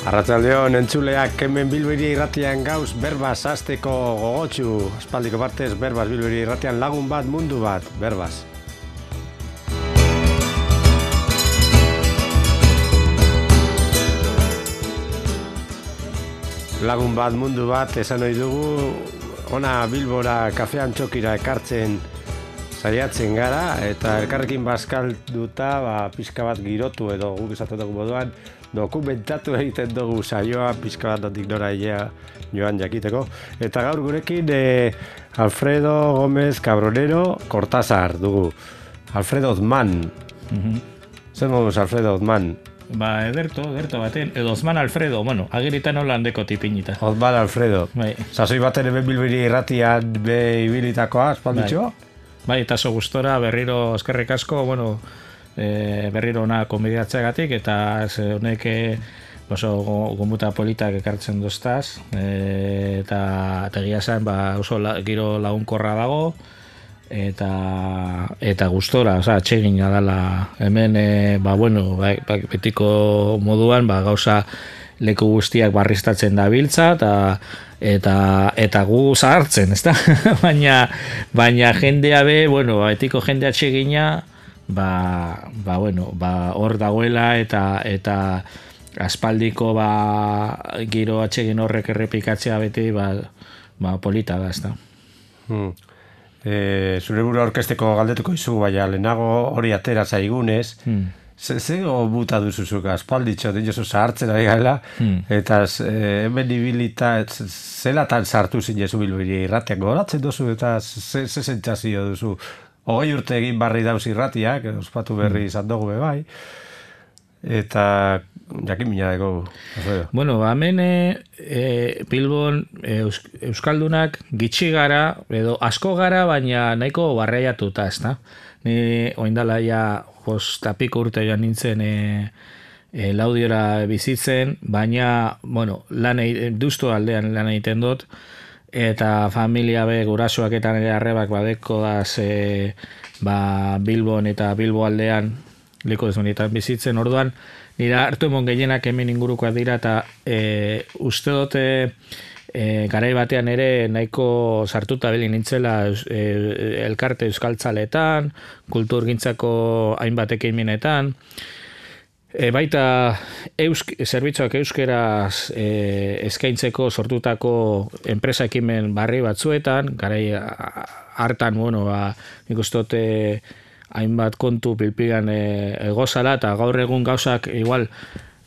Arratsaldeon entzuleak hemen Bilbiri irratian gauz berbaz hasteko gogotsu. Aspaldiko partez berbaz Bilbiri irratian lagun bat mundu bat berbaz. Lagun bat mundu bat esan ohi dugu ona Bilbora kafean txokira ekartzen saiatzen gara eta elkarrekin bazkalduta pixka bat girotu edo guk esaten dugu moduan dokumentatu egiten dugu saioa pixka bat notik nora joan jakiteko. Eta gaur gurekin Alfredo Gómez Cabronero Cortázar dugu. Alfredo Ozman. Zer moduz Alfredo Ozman? Ederto baten, edo Ozman Alfredo, agiritan holandeko tipinita. Ozman Alfredo. Sasoi baten hemen Bilbiri irratian ibilitakoa, espalditxo? Eta zo gustora berriro eskerrik asko, berriro ona konbidatzeagatik eta honek oso gomuta politak ekartzen doztaz eta egia zen oso giro lagunkorra dago eta gustora, atsegina dela hemen betiko moduan gauza leku guztiak barriztatzen da biltza eta gu zahartzen, ezta? baina jendea etiko jendea atsegina hor dagoela eta aspaldiko giro atsegin horrek errepikatzea beti polita da, ezta. Zure burua orkesteko galdetuko izu, baina lehenago hori atera zaigunez, zego buta duzuzuk aspalditxo dinosu zahartzen ari gaela, eta hemen ibilita zelatan sartu zinezu Bilbiri irratiak goratzen duzu eta ze sentsazio duzu? 20 urte egin barri dauz irratiak, ospatu berri izan dugu bebai, eta jakin mina dago. Hemen Bilbon Euskaldunak gitxi gara, edo asko gara, baina nahiko barreiatuta, ezta? Ni oindala ja 5 urte joan nintzen Laudiora bizitzen, baina, duztu aldean lan egiten dut, eta familia gurasoak eta nire arrebak badeko daz Bilbon eta Bilbo aldean liko desmonietan bizitzen, orduan nire hartu emon gehienak hemen ingurukoak dira eta uste dute garai batean ere nahiko sartuta beli nintzela elkarte euskaltzaletan, kulturgintzako hainbat ekimenetan, baita zerbitzuak euskeraz eskaintzeko sortutako enpresa ekimen barri batzuetan, garai hartan, nik uste dut hainbat kontu pilpigan egozala, eta gaur egun gauzak igual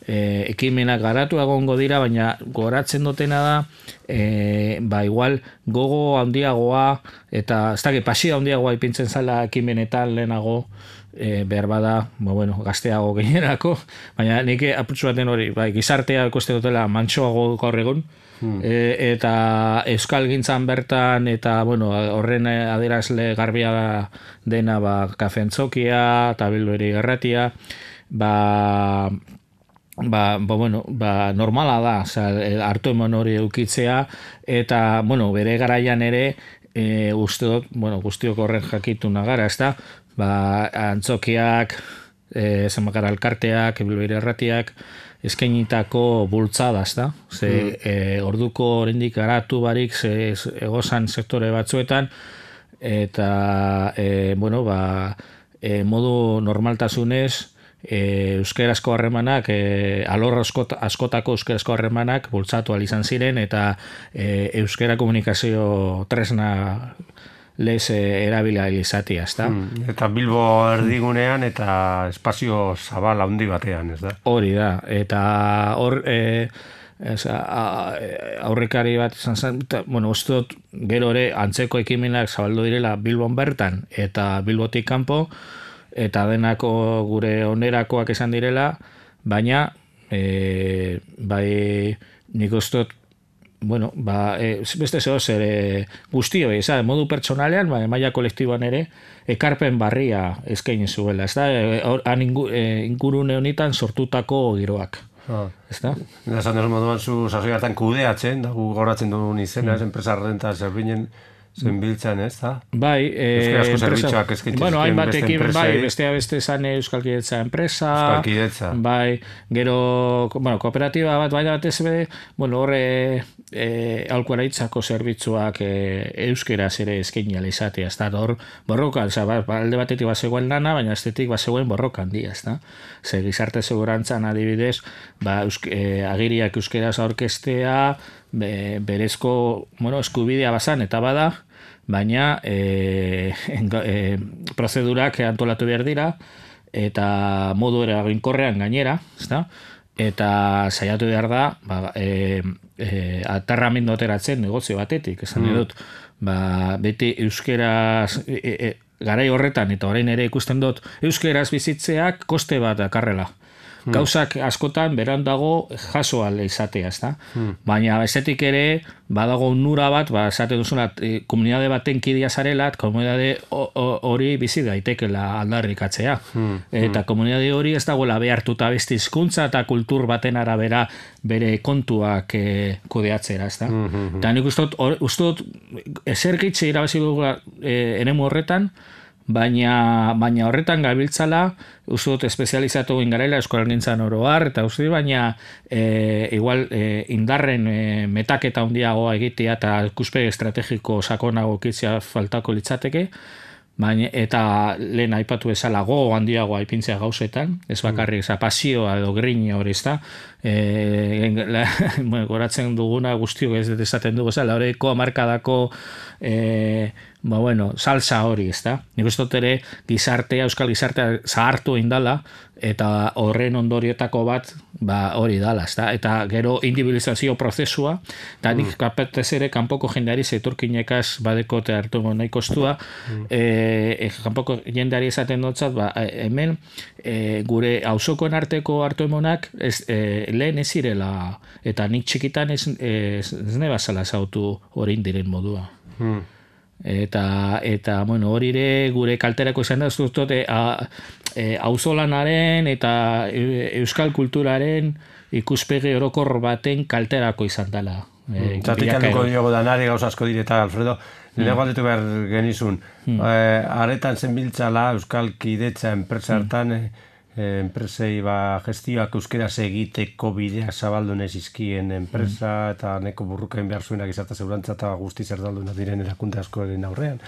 ekimenak garatu egongo dira, baina goratzen dutena da, igual gogo handiagoa, eta ez dakit pasio handiagoa ipintzen zala ekimenetan lehenago, behar bada, gazteago gehierako, baina nik apurtzu baten hori, gizartea ikuste dutela mantsoago gaur egun, eta euskal gintzan bertan, eta horren adierazle garbia dena kafentzokia, eta Bilbiri irratia, normala da, hartu eman hori eukitzea, eta, bere garaian ere, uste dut, guztiok horren jakituna gara, ez da, antzokiak, zenbakara elkarteak, Bilbiri irratiak, eskainitako bultzada, ez da? Orduko oraindik garatu barik egozan sektore batzuetan, eta, modu normaltasunez, euskerazko harremanak, alor askotako euskerazko harremanak bultzatu izan ziren, eta euskera komunikazio tresna lez erabila izatea, ez da? Eta Bilbo erdigunean eta espazio zabal handi batean, ez da? Hori da, eta hor aurrekari bat izan zen, uste dut gero ere antzeko ekimenak zabaldu direla Bilbon bertan eta Bilbotik kanpo, eta denako gure onerakoak izan direla, baina nik uste dut beste zehoz guztio, modu pertsonalean, maila kolektiboan ere, ekarpen barria eskaini zuela, ez da? Ingurune honetan sortutako giroak. Ez da? Esan dut moduan zu sasoi hartan kudeatzen, gu goratzen duen izena, enpresa renta zerbinen zenbiltzen, ez da? Bai, euskarazko zerbitzuak eskaintzen hainbatekin, beste bai, enpresei. beste esan Euskalkidetza enpresa, Euskalkidetza. bai, gero, kooperatiba bat, bai batez be, horre aholkularitzako zerbitzuak euskeraz ere eskaini ala izatea, ez da, hor borrokan, alde batetik bazegoen lana, baina estetik bazegoen borrokan handia, ez da? Ze gizarte segurantzan adibidez, agiriak euskeraz aurkeztea, berezko, eskubidea bazan eta bada, baina prozedurak antolatu behar dira, eta modu eraginkorrean gainera, ezta? Eta saiatu behar da, aterramendu ateratzen negozio batetik, esan dut, beti euskeraz, garai horretan, eta orain ere ikusten dut, euskeraz bizitzeak koste bat dakarrela. Gauzak askotan berandago jaso ale izatea, ezta? Baina bestetik ere badago nura bat, esate duzuna komunitate baten kidea zarela, komunitate hori bizi daitekela aldarrikatzea. Eta komunitate hori ez dagoela behartuta beste hizkuntza eta kultur baten arabera bere kontuak kudeatzera, ezta? Eta nik uste dut ezer gitxe irabazi dugu eremu horretan, baina horretan gabiltzala, uste dut espezializatu ingarela eskolalgintzan oro har, eta uste dut, baina igual indarren metaketa handiagoa egitea eta ikuspegi estrategiko sakonago kitzea faltako litzateke, baina eta lehen aipatu bezala gogo handiagoa aipintzea gauzetan, ez bakarrik pasioa edo grina hori, ezta? Goratzen duguna guztiok ez esaten dugu, horreko hamarkadako salsa hori, ezta? Nik uste dut ere euskal gizartea zahartu indala, eta horren ondorietako bat hori dala, ezta? Eta gero individualizazio prozesua, eta nik kapetez ere kanpoko jendeari zeiturkinekaz badeko eta hartu nahi kostua, kanpoko jendeari esaten dutzat, hemen gure auzokoen arteko hartu emonak lehen ez zirela, eta nik txikitan ez nebazala zautu hori indiren modua. Eta hori ere gure kalterako izan da, ez dut auzolanaren eta euskal kulturaren ikuspegi orokor baten kalterako izan dela. Zatik alduko diogo danari gauz asko direta, Alfredo, nire galdetu behar genizun, aretan zenbiltzala euskal kidetza enpresa hartan, enpresei gestioak euskeraz egiteko bidea zabaldu nezizkien enpresa eta neko burruken behar zuenak izarta zeurantza eta guzti zerdalduna diren erakunde askoren aurrean.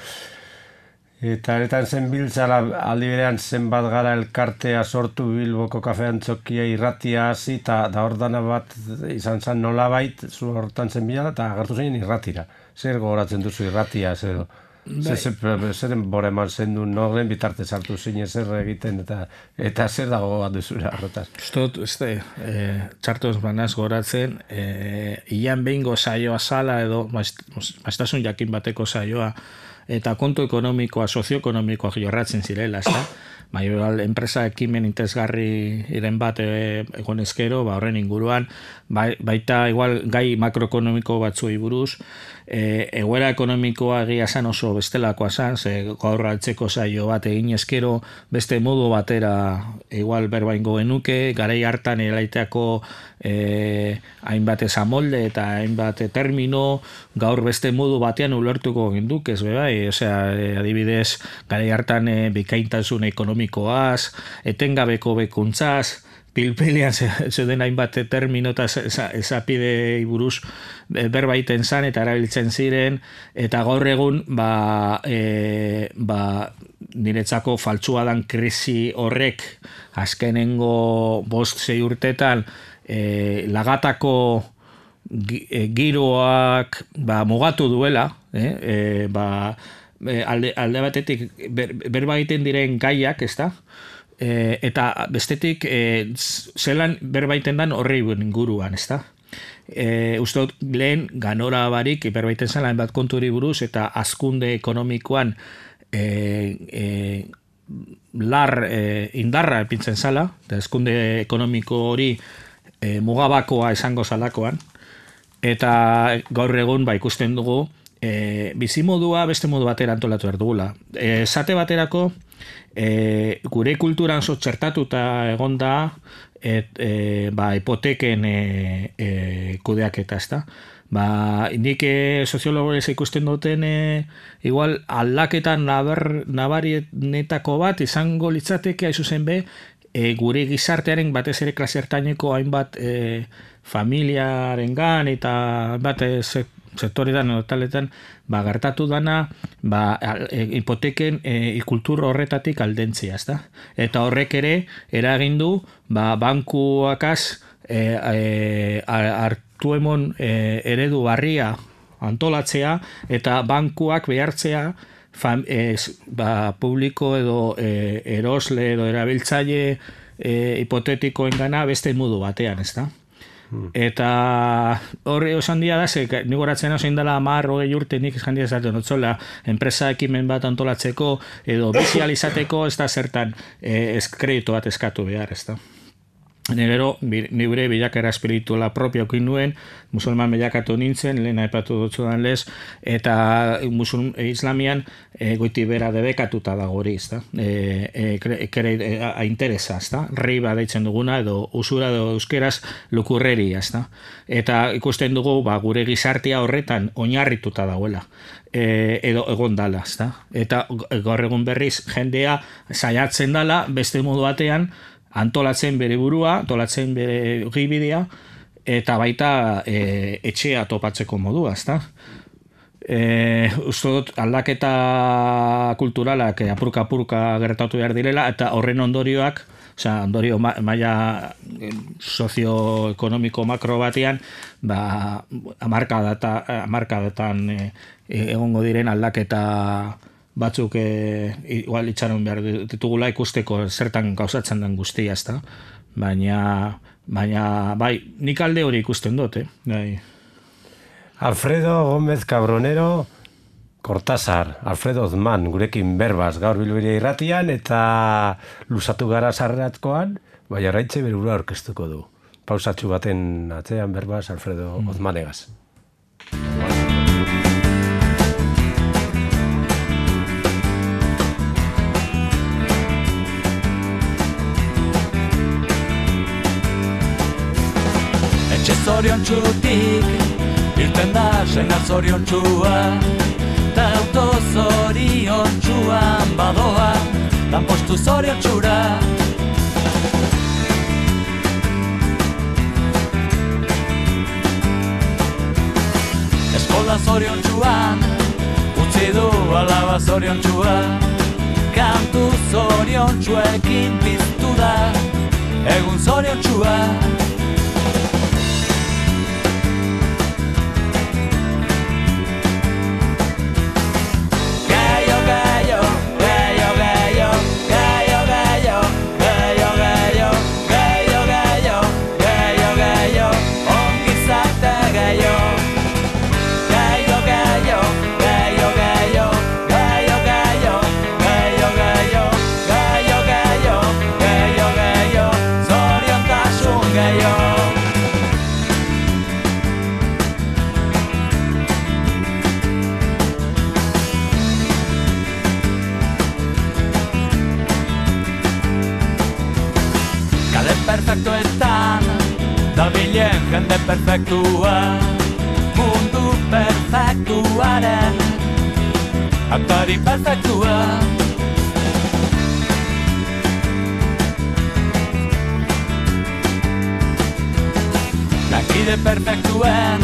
Eta aretan zenbiltzala aldi berean zenbat gara elkartea sortu Bilboko kafean txokia irratia hasi eta hor dana bat izan zen nolabait zu hortan zenbilala eta agertu zein irratira. Zer gogoratzen duzu irratia, zer zeren bora eman zen du norren bitartez hartu zine zer egiten eta zer dago bat duzura horretaz. Txartoz banaz goratzen, ian behingo saioa zala edo maiztasun jakin bateko saioa eta kontu ekonomikoa, sozioekonomikoa jorratzen zirela, ezta? Enpresa ekimen interesgarri iren bat egon ezkero, horren inguruan, baita igual gai makroekonomiko batzui buruz, egoera ekonomikoa egia zan oso bestelakoa zan, gaur altzeko saio bat egin ezkero, beste modu batera igual berbaingo genuke, garai hartan elaiteako hainbat ezamolde eta hainbat termino, gaur beste modu batean ulertuko genduk, ez bebai, adibidez, garai hartan bikaintasun ekonomikoaz, etengabeko bekuntzaz, pilpilian zeuden hainbat termino eta esapide buruz berbaiten zan eta erabiltzen ziren, eta gaur egun niretzako faltsua dan krisi horrek azkenengo 5-6 urtetan lagatako giroak mugatu duela, alde batetik berba egiten diren gaiak, ezta? Eta bestetik zelan berbaiten dan horri inguruan, ezta? Uste dut lehen ganora barik berbaiten zela hainbat konturi buruz eta hazkunde ekonomikoan indarra epintzen zala, eta hazkunde ekonomiko hori mugabakoa esango zalakoan, eta gaur egun ikusten dugu bizimodua beste modu batera antolatu behar dugula. Esate baterako, gure kulturan txertatuta egon da hipoteken kudeaketa, ezta? nik soziologorez ikusten duten igual aldaketan nabarietako bat izango litzateke zuzen be, gure gizartearen batez ere klase ertaineko hainbat familiarengan eta hainbat sektoretan edo taletan gertatu dana hipoteken kultur horretatik aldentzia, ezta? Eta horrek ere eragin du bankuakaz hartu emon eredu barria antolatzea eta bankuak behartzea publiko edo erosle edo erabiltzaile hipotetikoengana beste modu batean, ezta? Eta horre osan dia da, nik horatzen zein dela 10-20 urte nik esan dia esaten notzola, enpresa ekimen bat antolatzeko edo bizializateko ez da zertan kreditu bat eskatu behar, ez da. Gero, nire bilakera espirituala propio okin nuen, musulman bilakatu nintzen, lehen aipatu dutzudan lez, eta islamian goiti bera debekatuta dago hori, ezta? Interesa, ezta? Riba deitzen duguna, edo usura edo euskeraz lukurreri, ezta? Eta ikusten dugu, gure gizartea horretan oinarrituta dagoela. Edo egon dala, ezta? Eta gaur egun berriz jendea saiatzen dala, beste modu batean, antolatzen bere burua, antolatzen bere gibidea, eta baita etxea topatzeko modua, ezta? Uste dut aldaketa kulturalak apurka gertatu behar direla, eta horren ondorioak, ondorio maila sozioekonomiko makro batean, hamarkadatan egongo diren aldaketa batzuk igual itxaron behar ditugula ikusteko zertan gauzatzen den guztia, ezta? Baina bai, nik alde hori ikusten dut, bai. Alfredo Gómez Cabronero Cortázar, Alfredo Ozman, gurekin berbaz gaur Bilbiri irratian eta lusatu gara sarreratkoan, bai arraitze berura orkestuko du. Pausatxu baten atzean berbaz Alfredo Ozmanegaz. Zorion txutik, irten da senar zorion txua, ta auto zorion txuan badoa, tan postu zorion txura. Eskola zorion txuan, utzi du alaba zorion txua, kantu zorion txuekin piztu da, egun zorion txua. Perfektuetan dabilen jende perfektua, mundu perfektuaren aktari perfektua. Lankide perfektuen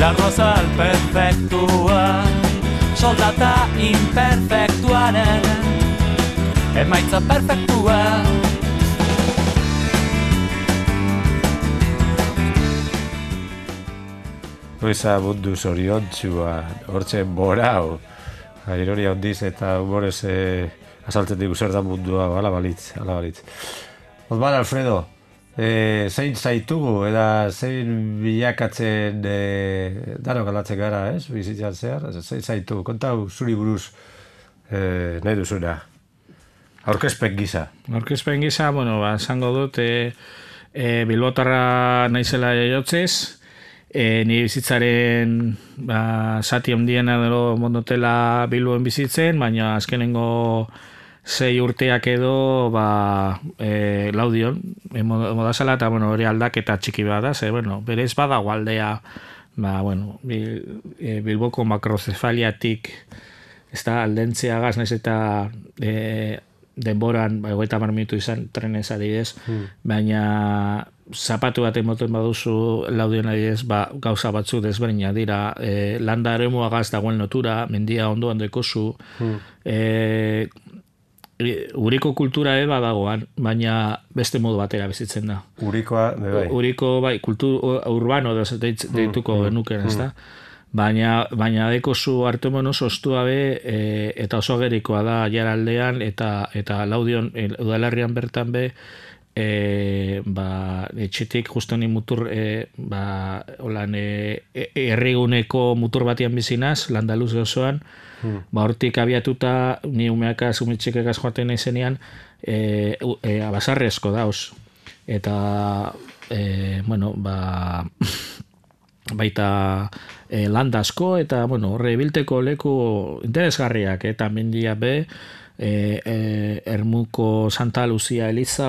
larrozal perfektua, soldata imperfektuaren emaitza perfektua. Luisa mundu zoriontzua, hortxe borau, ironia hondiz eta humorez azaltzen digu zer da mundua, ala balitz. Ozman, Alfredo, zein zaitugu, eta zein bilakatzen danok aldatzen gara, bizitzan zehar, zein zaitugu, kontau zuri buruz nahi duzuna, aurkezpen gisa. Aurkezpen gisa, esango dut, Bilbotarra naizela jaiotzez, ni bizitzaren zati handiena edo mondotela Bilboen bizitzen, baina azkenengo 6 urteak edo Laudion modazala eta hori aldaketa txiki bat da, berez badago aldea bueno, Bilboko makrozefaliatik ez da aldentzeagaz, naiz eta denboran, 30 minutu izan trenez adibidez, baina zapatu bat emoten baduzu Laudion adibidez, gauza batzuk desberdina dira, landa eremuagaz dagoen lotura, mendia ondoan dekozu, Uriko kultura badagoan, baina beste modu batera bizitzen da. Urikoa, bai. Uriko, bai, kultur urbano deituko genuken, ez da? Baina dekozu Artemon oso ostua eta oso gerikoa da jaraldean eta Laudion udalerrian bertan etxetik justo ni mutur herriguneko mutur batian bizinaz, Landaluz osoan, hortik abiatuta ni umeakaz, umetxekekaz joaten izenean basarrezko dauz. Eta baita landasko eta horre bilteko leku interesgarriak eta mendia Ermuko Santa Lucia Eliza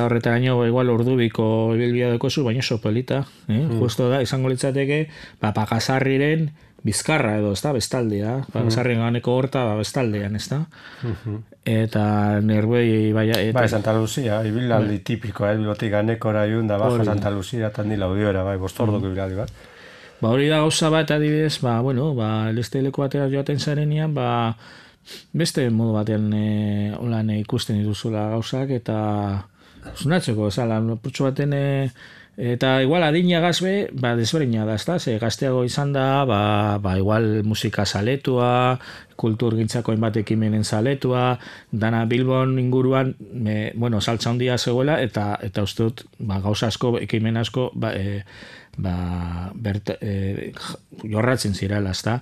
horretaraino igual ordubiko ibilbidea dekozu, baina oso polita, justo da, izango litzateke Pakasarriren bizkarra edo, ez da, bestaldea, Pakasarriren ganeko horta bestaldean, ez da? Eta nerbei bai, Santa Lucia, ibilaldi tipikoa, bilotik ganekora iun da baja Santa Lucia eta ni Laudiora, bai, bostordoko ibilaldi bat. Hori da gauza bat adibidez, elesteileko batera joaten zarenean, beste modu batean ikusten dituzula gauzak eta sunatzeko, purtsu baten eta igual adinagaz desberdina da, ezta? Ze gazteago izan da, igual musika zaletua, kulturgintzako hainbat ekimenen zaletua, dana Bilbon inguruan, saltza handia zegoela eta uste dut, gauza asko, ekimen asko, jorratzen zirela, ezta?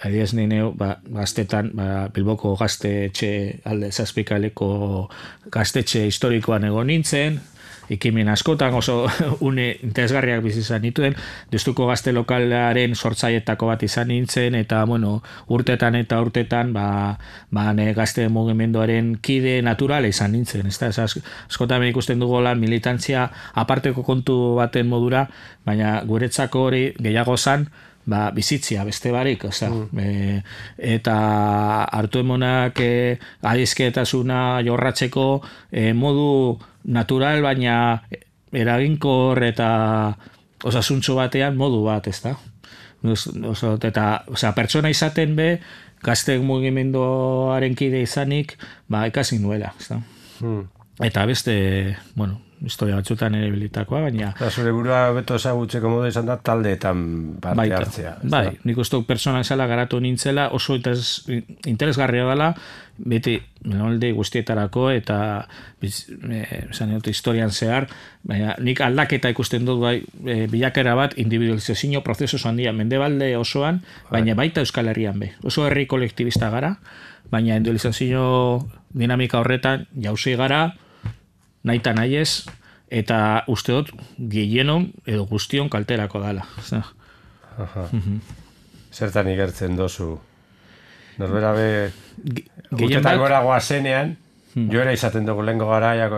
Adibidez nineu, gaztetan, Bilboko gaztetxe alde zazpikaleko gaztetxe historikoan egon nintzen, ekimen askotan oso une interesgarriak bizizan nituen, Deustuko gazte lokalaren sortzaietako bat izan nintzen, eta urtetan gazte mugimenduaren kide naturala izan nintzen, ez da, askotan ikusten dugu militantzia aparteko kontu baten modura, baina guretzako hori gehiago zan, bizitzia, beste barik, eta hartu emonak adizketasuna jorratzeko modu natural, baina eraginkor eta osasuntxo batean modu bat, ez da? Eta pertsona izaten gazte mugimenduaren kide izanik, ikasi nuela, ez da? Eta beste, historia batzutan ere bilitakoa, baina... Zure burua beto ezagutzeko modu izan da taldeetan parte hartzea. Bai, nik uste pertsona esala garatu nintzela, oso interesgarria dela, beti guztietarako eta historian zehar, baina nik aldaketa ikusten dut bilakera bat individualizazio prozesu handia Mendebalde osoan, baina baita Euskal Herrian oso herri kolektibista gara, baina individualizazio dinamika horretan jauzi gara, naita nahiez, eta uste dut gehienon edo guztion kalterako dala. Zertan igertzen dozu? Norbera urtetan gora goazenean, joera izaten dugu lehenko garaiak,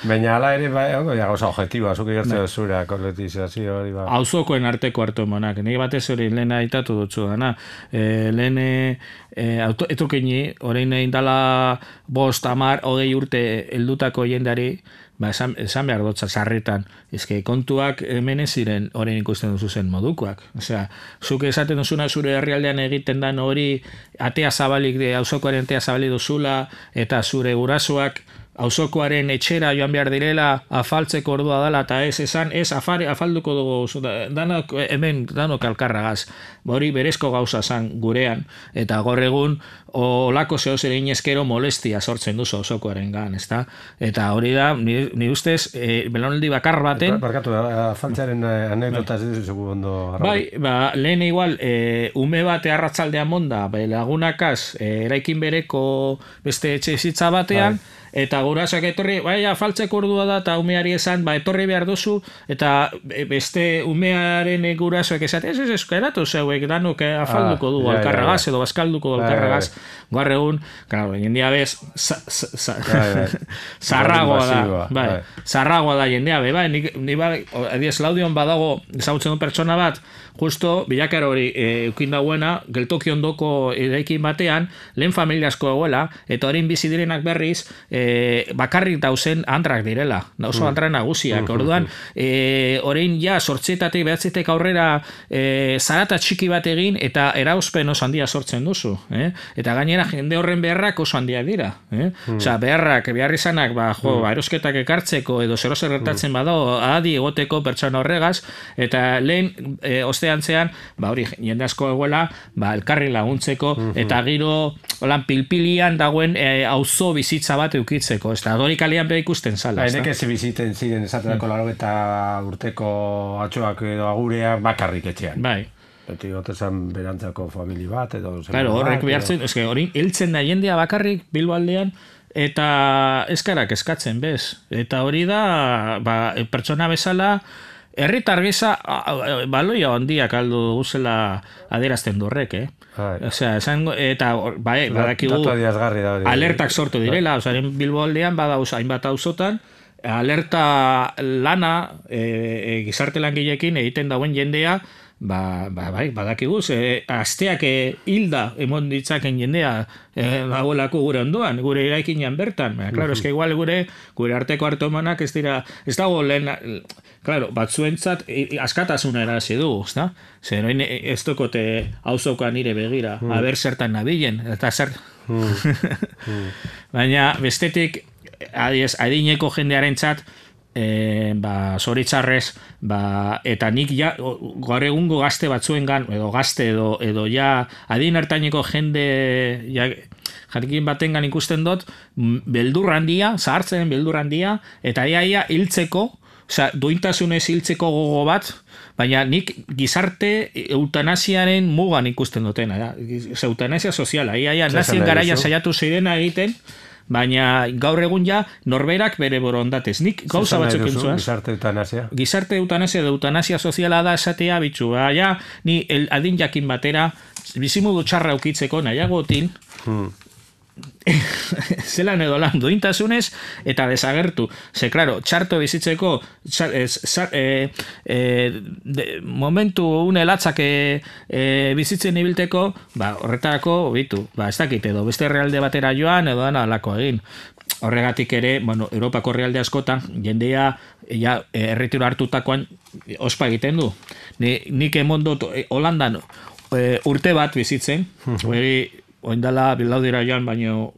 baina ala ere gauza objektiba, zuk igertzen duzura kolektibizazio hori. Auzokoen arteko hartu emonak, nire batez hori lehen aitatu dutzu dana. Lehen etorkini, orain indala 5, 10, 20 urte heldutako jendari, esan behar dutza sarritan, kontuak hemen ez ziren orain ikusten duzu zen modukoak. Zuk esaten duzuna zure herrialdean egiten dan hori atea zabalik, auzokoaren atea zabalik duzula, eta zure gurasoak auzokoaren etxera joan behar direla, afaltzeko ordua dela, eta ez afalduko dugu, hemen danok alkarragaz. Hori berezko gauza zan gurean, eta gaur egun olako zeo zer inezkero molestia sortzen duzu auzokoaren gan, ezta? Eta hori da, ni ustez, belaunaldi bakar baten... Barkatu, afaltzearen anekdota ez duzu ondo... Bai, lehen igual, ume bate arratzaldean monda, lagunakaz, eraikin bereko beste etxe bizitza batean, eta gurasoak etorri, baina faltzeko ordua da, eta umeari esan, etorri behar duzu, eta beste umearen gurasoak esat, ez, eratu zeuek, danuk afalduko du alkarragaz, edo bazkalduko du alkarragaz, gaur egun, claro, jendea bez, zarragoa da, zarragoa da jendea, ni adiez Laudion badago, ezagutzen du pertsona bat, justo, bilakar hori eukin dauena, geltoki ondoko eraikin batean, lehen familiasko egoela, eta horien bizi direnak berriz, bakarrik dauzen andrak direla, oso andra nagusiak. Orduan, horien ja, sortzietatik, behatzetek aurrera zarata txiki bat egin, eta erauzpen oso handia sortzen duzu. Eta gainera, jende horren beharrak oso handia dira. Osea, behar izanak, erosketak ekartzeko, edo zer gertatzen badago, adi egoteko pertsona horregaz, eta lehen, osteantzean, hori, jende asko egoela, elkarri laguntzeko, eta giro, holan, pilpilian dagoen auzo bizitza bat eukitzeko, ez da, dori kalean beha ikusten zala. Nek ez biziten ziren esaterako 80 urteko atxoak edo agureak bakarrik etxean. Bai. Beti gotezan berantzako famili bat, edo... Claro, horrek behartzen, hori, hiltzen da jendea bakarrik Bilbo aldean, eta eskarak eskatzen, bez. Eta hori da, pertsona bezala, herritar gisa baloia handiak aldu guzela adierazten du horrek, Osea, eta badakigu alertak sortu direla, Bilbo aldean badauz hainbat auzotan, alerta lana gizarte langileekin egiten dauen jendea, badakigu, asteak hilda emon ditzaken jendea dagoelako gure ondoan, gure eraikinean bertan. Claro, eske igual gure arteko hartomanak ez dago lehen, claro, batzuentzat askatasuna erazi dugu, ezta? Zer, ez dokote auzoka nire begira, aber zertan nabilen, eta zer... Baina, bestetik, adineko jendearen txat, zoritzarrez, eta nik ja, gaur egungo gazte batzuengan, edo gazte, edo ja, adin hartaineko jende, jarekin batengan ikusten dut, beldur handia, zahartzen beldur handia, eta ia hiltzeko, duintasunez hiltzeko gogo bat, baina nik gizarte eutanasiaren mugan ikusten dutena, eutanasia soziala, ia nazien garaian saiatu zirena egiten, baina gaur egun ja norberak bere borondatez. Nik gauza batzuk entzuaz. Gizarte eutanasia? Gizarte eutanasia edo eutanasia soziala da esatea bitxu. Ja, ni adin jakin batera bizimudu txarra ukitzeko nahiagotin zelan edo lan duintasunez eta desagertu. Ze, klaro, txarto bizitzeko momentu unelatzak bizitzen ibilteko, horretarako bitu, ez dakit edo beste realde batera joan edo dana alako egin. Horregatik ere, Europako realde askotan jendea erretiro hartutakoan ospa egiten du. Nik emondot Holandan urte bat bizitzen, oindala bilaudira joan, baino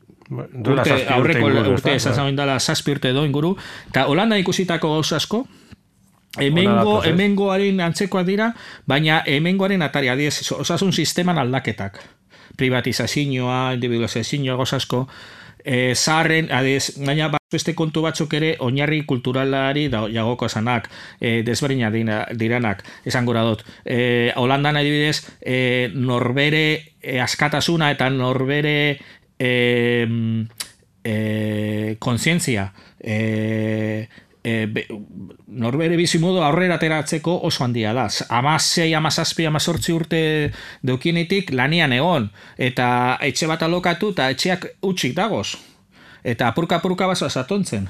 aurreko urte esaz oindala 7 urte do inguru, eta Holanda ikusitako gauz asko, hemengoaren antzekoak dira, baina hemengoaren atari, osasun sisteman aldaketak, privatizazioa, individualizazioa, gauz asko, zaharren, baina beste kontu batzuk ere oinarri kulturalari jagoko esanak, desberdina diranak, esan gora dut. Holandan adibidez, norbere askatasuna eta norbere kontzientzia, norbere bizimodu aurrera ateratzeko oso handia da. 16, 17, 18 urte deukienetik lanian egon, eta etxe bat alokatu eta etxeak utxik dagoz. Eta apurka basoa satontzen.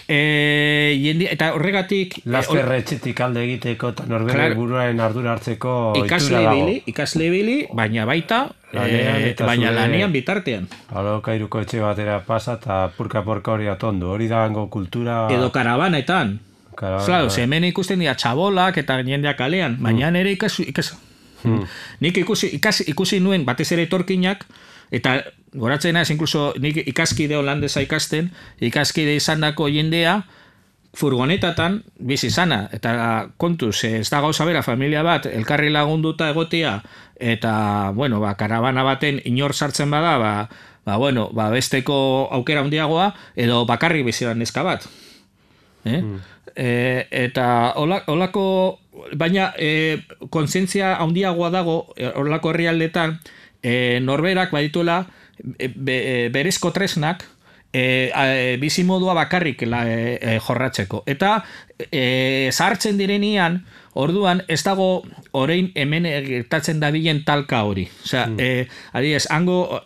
Eta horregatik... Lasterre etxetik alde egiteko eta norbere buruaren ardura hartzeko ohitura dago. Ikasle ibili, baina baita, baina lanian bitartean. Alokairuko etxe batera pasa eta purka hori atondu. Hori dago kultura... Edo karabanetan. Claro, hemen ikusten dira txabolak eta jendeak kalean, baina nire nik ikusi nuen batez ere etorkinak, eta goratzen naiz, inkluso nik ikaskide holandesa ikasten, ikaskide izandako jendea furgonetatan bizi izana, eta kontuz, ez da gauza bera familia bat elkarri lagunduta egotea, eta, karabana baten inor sartzen bada, besteko aukera handiagoa, edo bakarrik biziran neska bat. Eta holako, baina kontzientzia handiagoa dago holako herrialdetan, norberak badituela berezko tresnak bizimodua bakarrik jorratzeko. Eta zahartzen direnean, orduan, ez dago orain hemen gertatzen dabilen talka hori. Osea, adibidez, hango,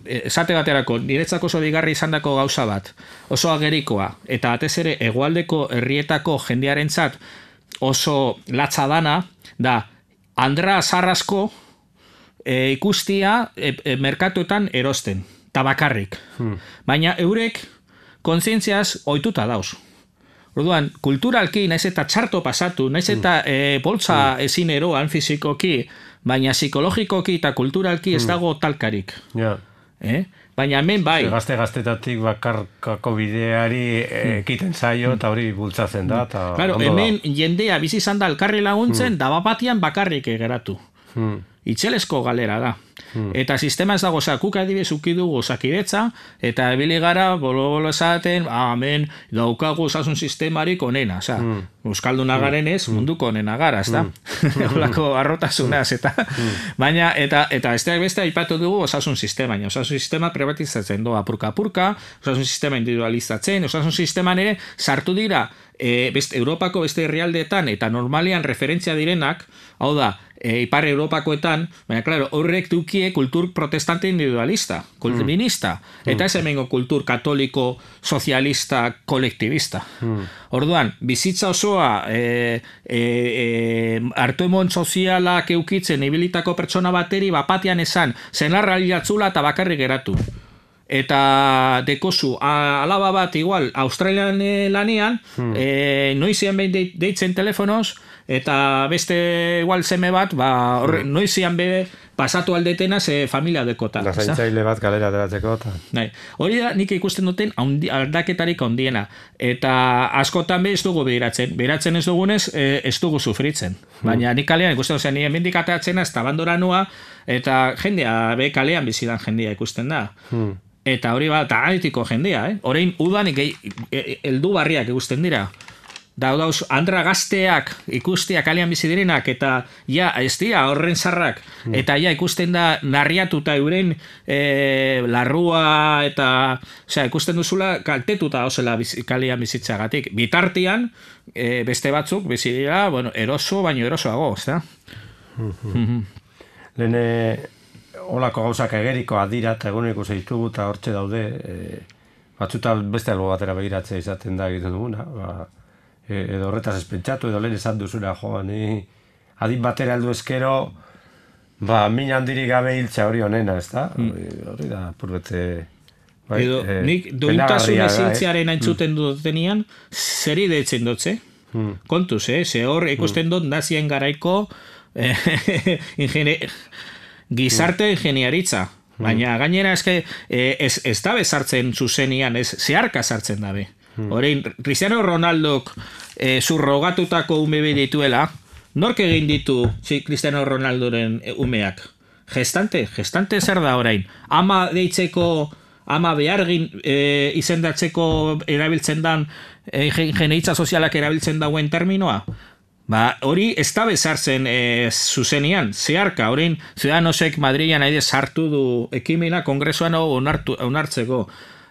esate baterako, niretzako oso digarri izandako gauza bat, oso agerikoa, eta atez ere, hegoaldeko herrietako jendearentzat oso latza dana, da, Andra Zarrasko ikustia merkatuetan erosten, tabakarrik. Baina eurek kontzientziaz ohituta dauz. Orduan, kulturalki, naiz eta txarto pasatu, naiz eta boltza ezin eroan fizikoki, baina psikologikoki eta kulturalki ez dago talkarik. Baina hemen bai. Gazte-gaztetatik bakarkako bideari ekiten zaio eta hori bultzatzen da. Claro, hemen jendea bizi izan da elkarri laguntzen, da bapatian bakarrik geratu. Itxelesko galera da. Eta sistema ez dago, kuk adibidez ukidugu Osakidetza, eta ebili gara, bolo esaten, hemen daukagu osasun sistemarik onena, euskalduna garen ez, munduko onena gara, ez da? Olako arrotasunaz, eta baina, eta besteak beste aipatu dugu osasun sistema, baina osasun sistema privatizatzen doa apurka-apurka, osasun sistema individualizatzen, osasun sisteman ere sartu dira Europako beste herrialdeetan eta normalian referentzia direnak, hau da, Ipar Europakoetan, baina, klaro, horrek dukie kultur protestante individualista, kulturminista, eta ez hemengo kultur katoliko, sozialista, kolektibista. Orduan, bizitza osoa hartu-emon sozialak eukitzen ibilitako pertsona bateri bapatian esan, zenarra jatzula eta bakarrik geratu. Eta dekozu, alaba bat igual, Australian lanean, noizian behin deitzen telefonoz, eta beste igual seme bat, noizian bebe pasatu aldetena ze familia dekota. Zaintzaile bat galera deratzeko. Hori da nik ikusten duten aldaketarik handiena. Eta askotan be ez dugu behiratzen. Behiratzen ez dugunez, ez dugu sufritzen. Baina nik kalean ikusten dut, nire mendik atatzena, ez tabandora nua, eta jendea, be kalean bizidan jendea ikusten da. Eta hori bat, analitiko jendea, Orain udan heldu barriak ikusten dira. Dauz, Andra gazteak ikustia kalean bizi direnak, eta ja, ez dira, horren zarrak, eta ja, ikusten da narriatuta euren larrua, eta, ikusten duzula kaltetuta osela kalean bizitzagatik. Bitartian, beste batzuk, bizi dira, eroso, baino erosoago, ez da? Lehen, olako gauzak egerikoa dira, eta eguneko zeitugu, eta hortxe daude, batzuta beste albo batera begiratzea izaten da egiten duguna, edo horretaz espentsatu, edo lehen esan duzuna, ni adin batera heldu eskero, min handirik gabe hiltza hori honena, ez da? Hori da, purbete... Edo, nik duintasun ezintziaren aintzuten dutenian, zeri deitzen dutze? Kontuz, ze hor ikusten dut nazien garaiko gizarte ingeniaritza. Baina gainera ez da bezartzen zuzenian, ez zeharka sartzen dabe. Horein, Cristiano Ronaldok zurrogatutako ume dituela, nork egin ditu Cristiano Ronaldoren umeak? Gestante zer da orain? Ama deitzeko, ama behargin izendatzeko erabiltzen dan, ingenieritza sozialak erabiltzen dauen terminoa? Hori ez da bezartzen zuzenian, zeharka, orain Ciudadanosek Madrilean sartu du ekimena kongresuan onartzeko.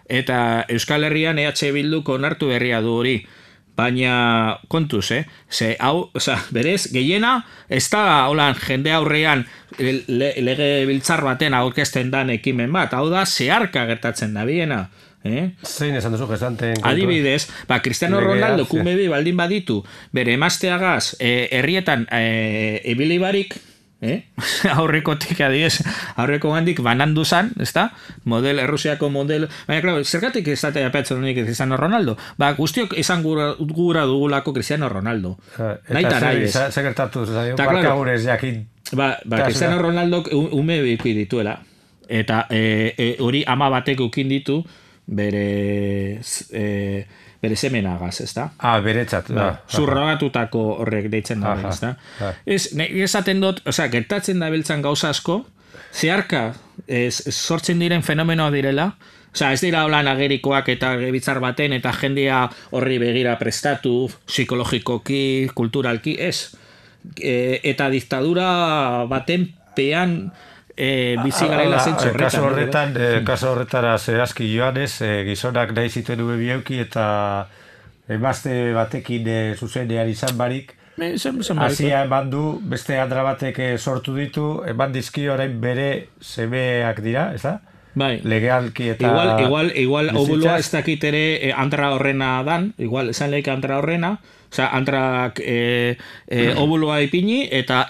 Eta Euskal Herrian EH Bilduk onartu berria du hori. Baina kontuz, ze hau, berez, gehiena, ez da holan jende aurrean lege biltzar baten aurkezten dan ekimen bat. Hau da, zeharka gertatzen da biena. Zein esan duzu gestanten? Adibidez, Cristiano Ronaldo kumebi baldin baditu, bere emazteagaz herrietan ebilibarik, aurrekotik adibidez, aurreko gandik banandu zan, ezta? Errusiako model, baina, klaro, zergatik ez datea petzen honik Cristiano Ronaldo? Guztiok esan gura dugulako Cristiano Ronaldo. Eta zer gertatu, barka gurez jakin. Cristiano Ronaldo ume biki dituela, eta hori ama batek ukin ditu bere semenagaz, ez da? Beretzat, da. Zurrogatutako horrek deitzen da, ez da? Esaten dut, gertatzen da beltzan gauza asko, zeharka sortzen diren fenomenoa direla, ez dira holan agerikoak eta bitzar baten, eta jendea horri begira prestatu, psikologikoki, kulturalki, ez. Eta diktadura baten pean bizi garela zentzu horretan. Kaso horretara zehazki joanez, gizonak nahi zituen ubebioki eta emazte batekin zuzenean izan barik, hasia eman du, beste andra batek sortu ditu, eman dizki orain bere semeak dira, ez da? Bai. Legalki eta... Igual obuloa ez dakit ere andra horrena dan, igual esan lehik andra horrena, osea, andrak obuloa ipini eta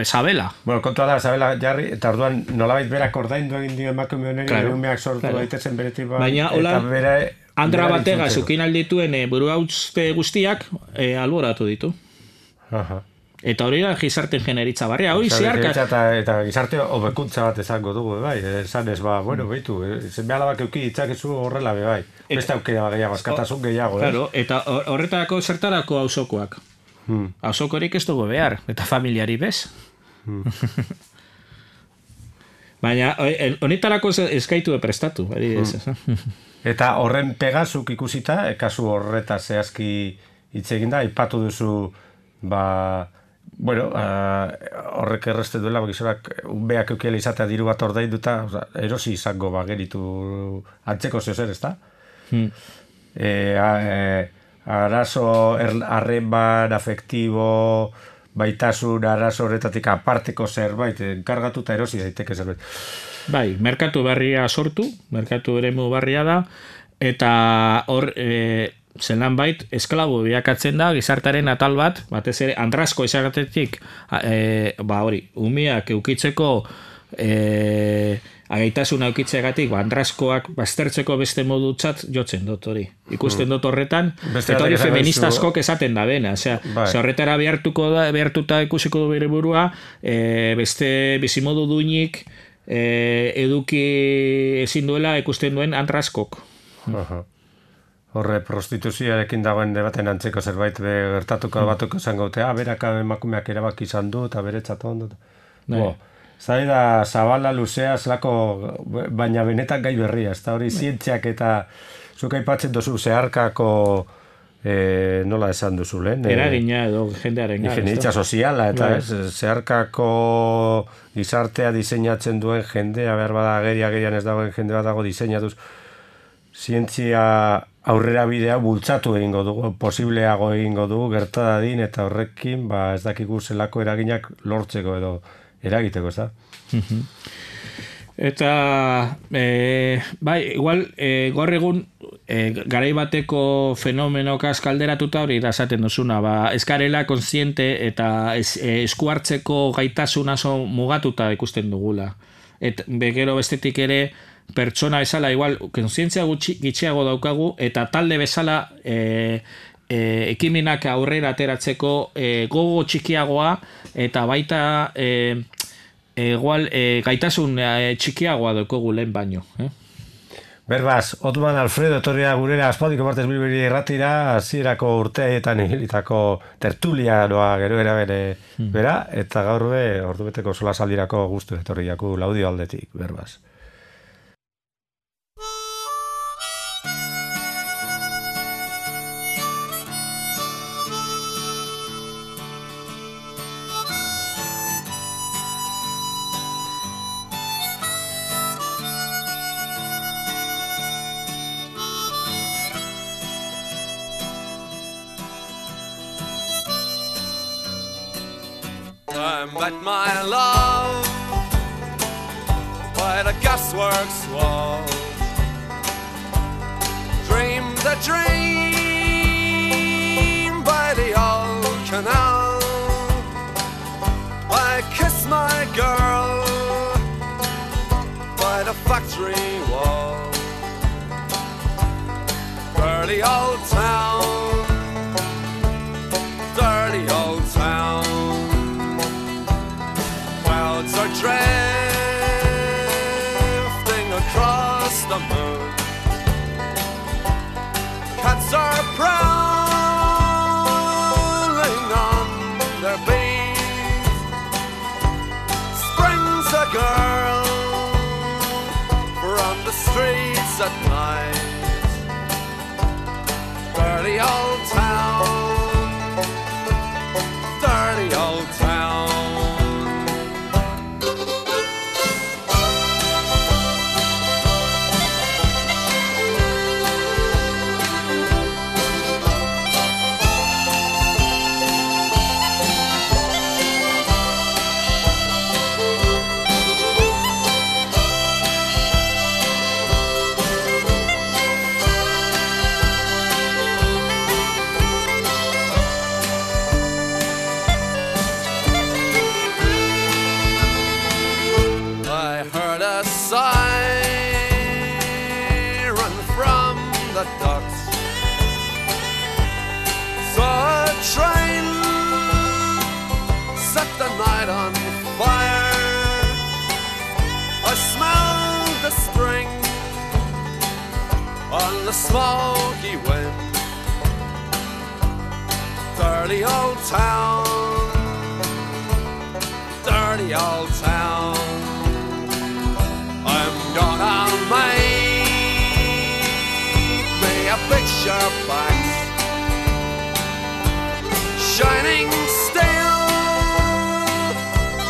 sabela. Bueno, kontua da, sabela jarri, eta orduan nolabait berak ordaindu egin dio emakume honeri, umeak sortu daitezen beretik bat, baina, eta bere... Andra batega zukin aldituen buruautze guztiak alboratu ditu. Aha. Eta hori da gizarte generitza barria, hori ziarka... Eta gizarte hobekuntza bat esango dugu, bai, esan ez, behitu, zenbe alabak euki ditzakezu horrela, bai, beste aukera gehiago, askatasun gehiago, claro, eta horretarako zertarako auzokoak. Auzokorik ez dugu behar, eta familiari bez. Baina, honetarako eskaitu prestatu, Eta horren pegazuk ikusita, kasu horreta zehazki hitz eginda, aipatu duzu, horrek errezte duela, gizonak unbeak eukiela izatea diru bat ordainduta, erosi izango geritu antzeko zeozer, ez da? Arazo, arreman, afektibo, baitasun, arazo horretatik aparteko zerbait, enkargatuta erosi daiteke zerbait. Bai, merkatu berria sortu, merkatu eremu berria da, eta hor... zelan bait, esklabo biakatzen da gizartaren atal bat, batez ere andrazko izagatetik hori, umiak eukitzeko agaitasuna eukitzeagatik andrazkoak baztertzeko beste modutzat jotzen dut hori. Ikusten dut horretan, eta hori feminista askok esaten da bena, horretara behartuta ikusiko du bere burua, beste bizimodu duinik eduki ezin duela ikusten duen andrazkok. Horre, prostituzioarekin dagoen debaten antzeko zerbait gertatuko batuko zango, beraka emakumeak erabaki izan du, eta beretzat ondo. Zai da, zabala luzea, zelako, baina benetan gai berria, ez da hori zientziak eta zuk aipatzen duzu zeharkako, nola esan duzu lehen? Eragina edo jendearen gara. Ingeniaritza soziala, eta zeharkako gizartea diseinatzen duen jendea, behar bada agerian ez dagoen jende bat dago diseinatuz, zientzia aurrera bidea bultzatu egingo dugu, posibleago egingo dugu, gertadadin, eta horrekin, ez dakigu zelako eraginak lortzeko edo eragiteko, ez da? Eta, igual, gaur egun, garai bateko fenomenokaz kalderatuta hori da esaten duzuna, eskarela kontziente eta esku hartzeko gaitasuna mugatuta ikusten dugula. Gero bestetik ere, pertsona bezala, igual, kontzientzia gitxiago daukagu, eta talde bezala ekimenak aurrera ateratzeko gogo txikiagoa, eta baita igual gaitasun txikiagoa daukagu lehen baino. Berbaz, Otman Alfredo etorria gurera aspaldiko partez bilbiri erratira, hasierako urteetan egilitako tertulianoa gero erabere bera, eta gaur ordubeteko solasaldirako guztu etorriako Laudio aldetik, berbaz. I met my love by the gasworks wall. Dreamed a dream by the old canal. I kissed my girl by the factory wall. Dirty old town, dirty old town. Clouds are drifting across the moon. Cats are prowling on their beat. Springs a girl from the streets at night. Milky Wind. Dirty old town, dirty old town. I'm gonna make me a picture box, shining steel,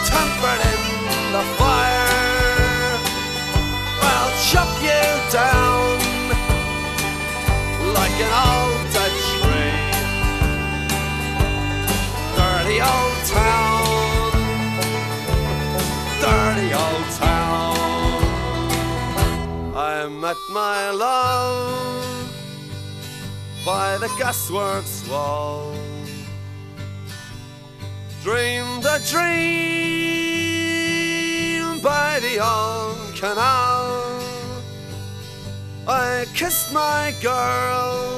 tempered in the fire. I'll chop you down like an old dead tree. Dirty old town, dirty old town. I met my love by the gasworks wall. Dreamed a dream by the old canal. I kissed my girl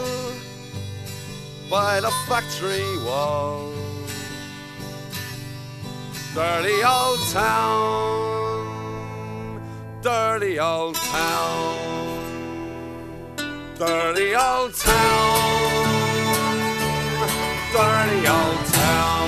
by the factory wall. Dirty old town, dirty old town, dirty old town, dirty old town.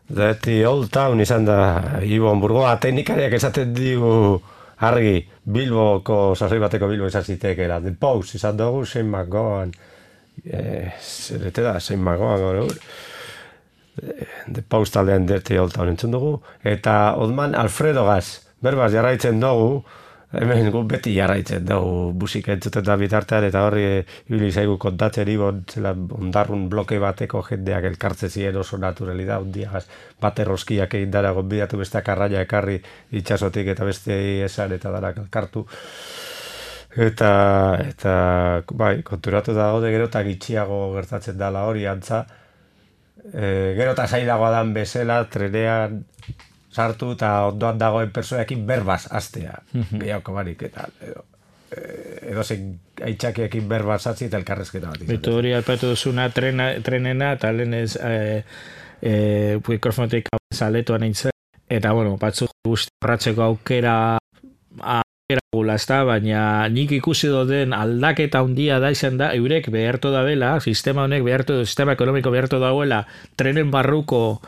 Dirty Old Town izan da Ibon Burgoa teknikariak esaten digu argi Bilboko sasoi bateko Bilbo izan zitekeela. The Pose izan dugu Shane McGowan zerete da Shane McGowan The Pose taldean Dirty Old Town entzun dugu eta Odman Alfredo Gaz berbaz jarraitzen dugu. Hemen gu beti jarraitzen dugu musika entzuten da bitartean eta horri ibili zaigu kontatzen Ibon zela ondarrun bloke bateko jendeak elkartze ziren oso naturalidad undiagaz bate roskiak egin dara gonbidatu besteak arraia ekarri itxasotik eta beste esan eta darak elkartu eta bai, konturatu da gaude gero eta gitxiago gertatzen dala hori antza gero eta zailagoa dan bezala trenean sartu eta ondoan dagoen personekin berbaz astea, gehiago barik eta edo zein aitxakiekin berbaz atzi eta elkarrezketa bat izan. Bitu hori alpatu duzuna trenena eta lehen ez mikrofonetik zaletuan nintzen eta bueno, batzuk guzti horratzeko aukera gula, baina nik ikusi doden aldaketa handia da izan da, eurek behartu da bela, sistema ekonomiko behartu dagoela trenen barruko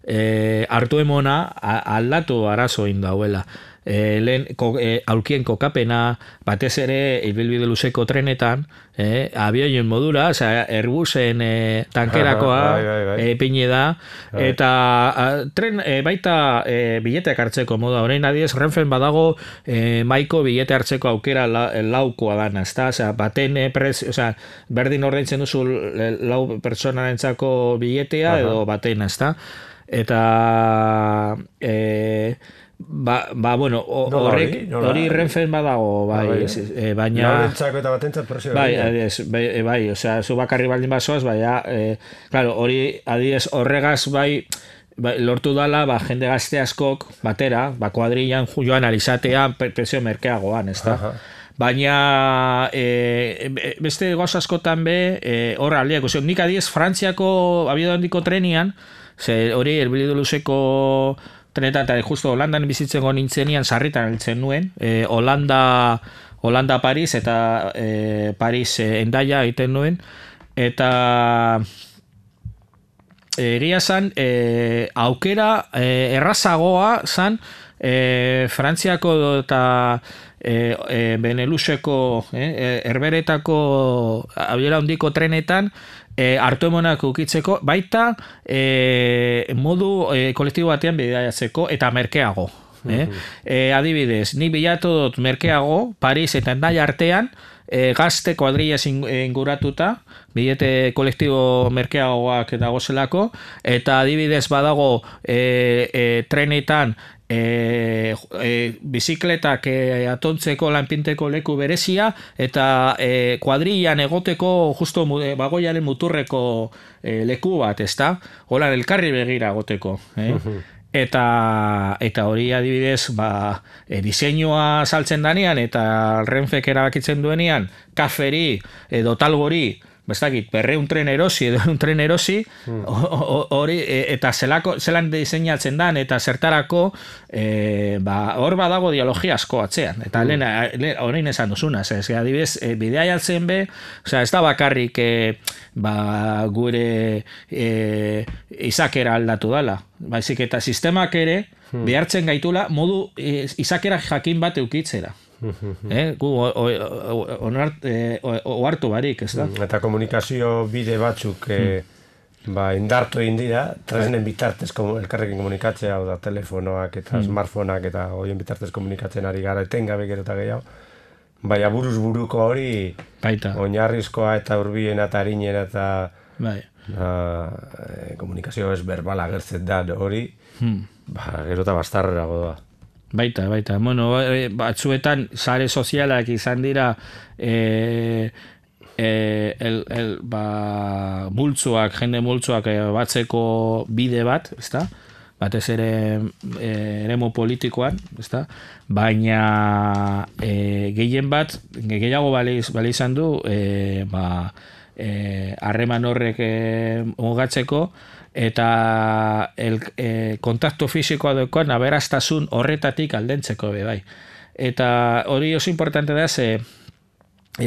hartu emona aldatu arazo indauela. Lehen aulkien kokapena, batez ere ibilbide luzeko trenetan, abioien modura, Airbusen tankerakoa pine da, eta tren baita bileteak hartzeko moda. Orain adiez, Renfen badago maiko bilete hartzeko aukera laukoa dana, ezta? Baten berdin ordaintzen duzu lau pertsonarentzako biletea edo batena, ezta? Eta bueno, hori Renfen badago, bai, baina laurentzako eta batentzat presio bai, zu bakarri baldin bazoaz, claro, hori adiez horregaz bai lortu dala, jende gazte askok batera, kuadrillan joan alizatea presio merkeagoan, ezta? Baina beste gauz askotan be hor aldeak, nik adiez Frantziako abiadu handiko trenian, hori elbilidu luzeko trenetan, eta justo Holandan bizitzen nintzenian sarritan heltzen nuen, Holanda Paris eta Paris Hendaia egiten nuen, eta egia zan aukera errazagoa zan Frantziako eta Beneluxeko Herberetako abiera handiko trenetan hartu emonak ukitzeko, baita modu kolektibo batean bidaiatzeko eta merkeago. Adibidez, ni bilatu dut merkeago, Paris eta Hendaia artean, gazte kuadrilla inguratuta, bilete kolektibo merkeagoak dagozelako, eta adibidez badago trenetan bizikletak atontzeko lanpinteko leku berezia eta kuadrillan egoteko justo bagoiaren muturreko leku bat, ezta? Hola elkarri begira egoteko, Eta hori adibidez, diseinua saltzen danean eta Renfek erabakitzen duenean, kaferi edo talgori bestakit, 200 tren erosi edo 100 tren erosi, hori, eta zelan diseinatzen dan, eta zertarako, hor badago dialogia asko atzean. Eta horrein esan duzuna, adibidez, bidea jaltzen be, ez da bakarrik gure izakera aldatu dala, baizik eta sistemak ere, behartzen gaitula, modu izakera jakin bat eukitzera. Gu ohartu barik, ez da? Eta komunikazio bide batzuk indartu egin dira, tresnen bitartez elkarrekin komunikatzea, da telefonoak eta smartphoneak eta horien bitartez komunikatzen ari gara etengabe gero eta gehiago. Baina buruz buruko hori, oinarrizkoa eta hurbilena eta harinena eta komunikazio ez berbala agertzen da hori, gero eta bastarrerago da. Baita. Bueno, batzuetan sare sozialak izan dira jende multzoak batzeko bide bat, ezta? Batez ere eremu politikoan, ezta? Baina gehien bat, gehiago bali izan du, harreman horrek mugatzeko, eta kontaktu fisikoa dokoan aberastasun horretatik aldentzeko bai. Eta hori oso importante da,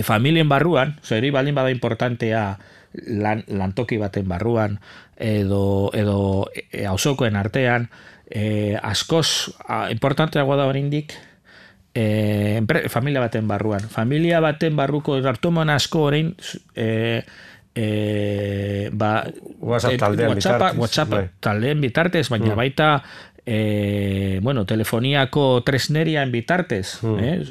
familien barruan, hori baldin bada importantea lantoki baten barruan, edo auzokoen artean, askoz importanteagoa da oraindik familia baten barruan. Familia baten barruko hartuman asko orain WhatsApp taldean bitartez, baina baita telefoniako tresnerian bitartez,